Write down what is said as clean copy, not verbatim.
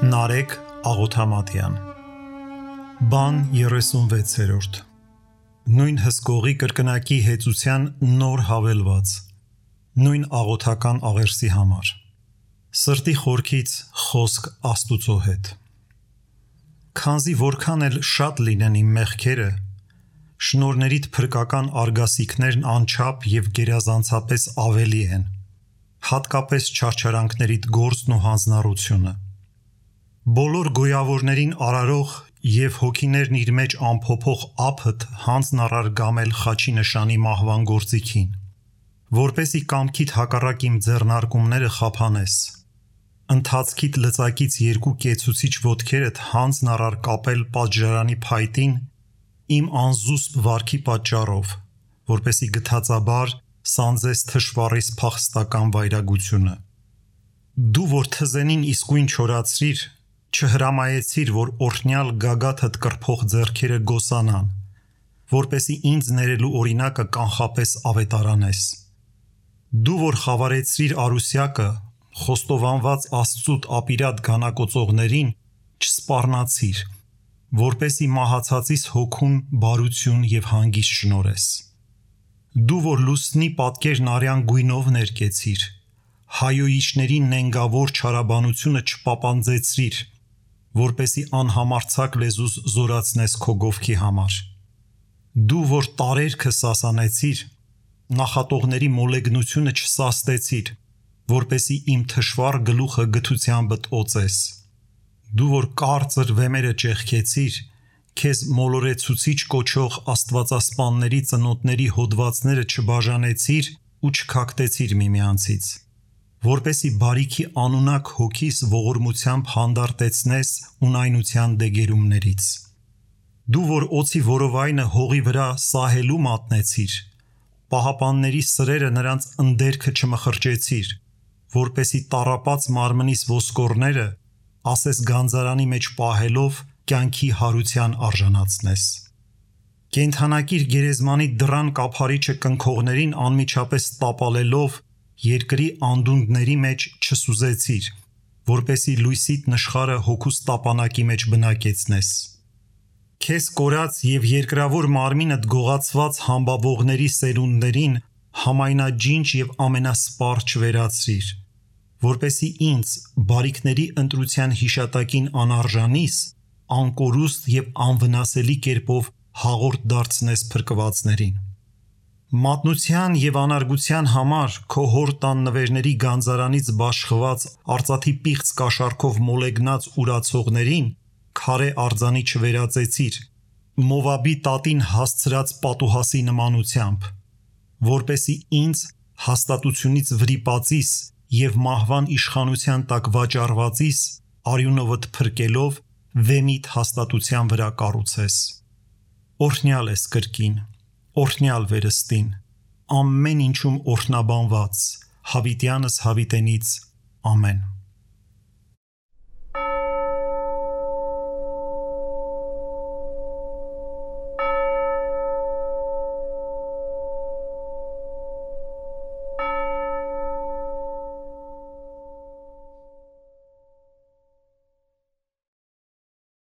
Նարեկ Աղոթամատյան Բան 36 Նույն հսկողի կրկնակի հեծության նոր հավելված Նույն աղոթական աղերսի համար Սրտի խորքից խոսք Աստուծո հետ Քանզի որքան էլ շատ լինեն իմ մեղքերը շնորհներիդ փրկական արգասիքներն անչափ և գերազանցապես ավելի են հատկապես չարչարանքներիդ գործն ու հանձնառությունը Բոլոր գոյավորներին արարող և հոգիներն իր մեջ ամփոփող ափդ հանձն առար գամել խաչի նշանի մահվան գործիքին, որպեսզի կամքիդ հակառակ իմ ձեռնարկումները խափանես, ընթացքիդ լծակից երկու կեցուցիչ ոտքերդ հանձն առար կապել պատժարանի փայտին իմ անզուսպ վարքի պատճառով, որպեսզի գթածաբար սանձես թշվառիս փախստական վայրագությունը։ Դու որ թզենին իսկույն չորացրիր, չհրամայեցիր, որ օրհնյալ գագաթդ կրփող ձեռքերը գոսանան, որպեսզի ինձ ներելու օրինակը կանխապես ավետարանես։ Դու որ խավարեցրիր արուսյակը, խոստովանված Աստծուտ ապիրատ գանակոծողներին, չսպառնացիր, որպեսզի մահացածիս հոգուն բարություն և հանգիստ շնորհես։ Դու որ լուսնի պատկերն արյան գույնով ներկեցիր, հայոյիչների նենգավոր չարաբանությունը չպապանձեցրիր, որպեսզի անհամարձակ լեզուս զորացնես քո գովքի համար։ Դու որ տարերքը սասանեցիր, նախատողների մոլեգնությունը չսաստեցիր, որպեսզի իմ թշվառ գլուխը գթությանբդ օծես։ Դու որ կարծր վեմերը ճեղքեցիր, քեզ մոլորեցուցիչ կոչող աստվածասպանների ծնոտների հոդվածները չբաժանեցիր ու չքակտեցիր միմյանցից, որպեսզի բարիքի անունակ հոգիս ողորմությամբ հանդարտեցնես ունայնության դեգերումներից։ Դու որ օձի որովայնը հողի վրա սահելու մատնեցիր, պահապանների սրերը նրանց ընդերքը չմխրճեցիր, որպեսզի տառապած մարմնիս ոսկորները, ասես գանձարանի մեջ պահելով, կյանքի հարության արժանացնես։ Կենդանակիր գերեզմանի դռան կափարիչը կնքողներին անմիջապես տապալելով, երկրի անդունդների մեջ չսուզեցիր, որպեսզի լույսիդ նշխարը հոգուս տապանակի մեջ բնակեցնես։ Քեզ կորած և երկրավոր մարմինդ գողացված համբավողների սերունդներին համայնաջինջ և ամենասպառ չվերածրիր, որպեսզի ինձ բարիքների ընտրության հիշատակին անարժանիս, անկորուստ և անվնասելի կերպով հաղորդ դարձնես փրկվածներին։ Մատնության և անարգության համար քո հոր տան նվերների գանձարանից բաշխված արծաթի պիղծ կաշառքով մոլեգնած ուրացողներին քարե արձանի չվերածեցիր, Մովաբի տատին հասցրած պատուհասի նմանությամբ, որպեսզի ինձ հաստատությունից վրիպածիս և մահվան իշխանության տակ վաճառվածիս արյունովդ փրկելով վեմիդ հաստատության վրա կառուցես։ Օրհնյալ ես կրկին, օրհնյալ վերստին, ամեն ինչում օրհնաբանված, հավիտյանս հավիտենից, ամեն։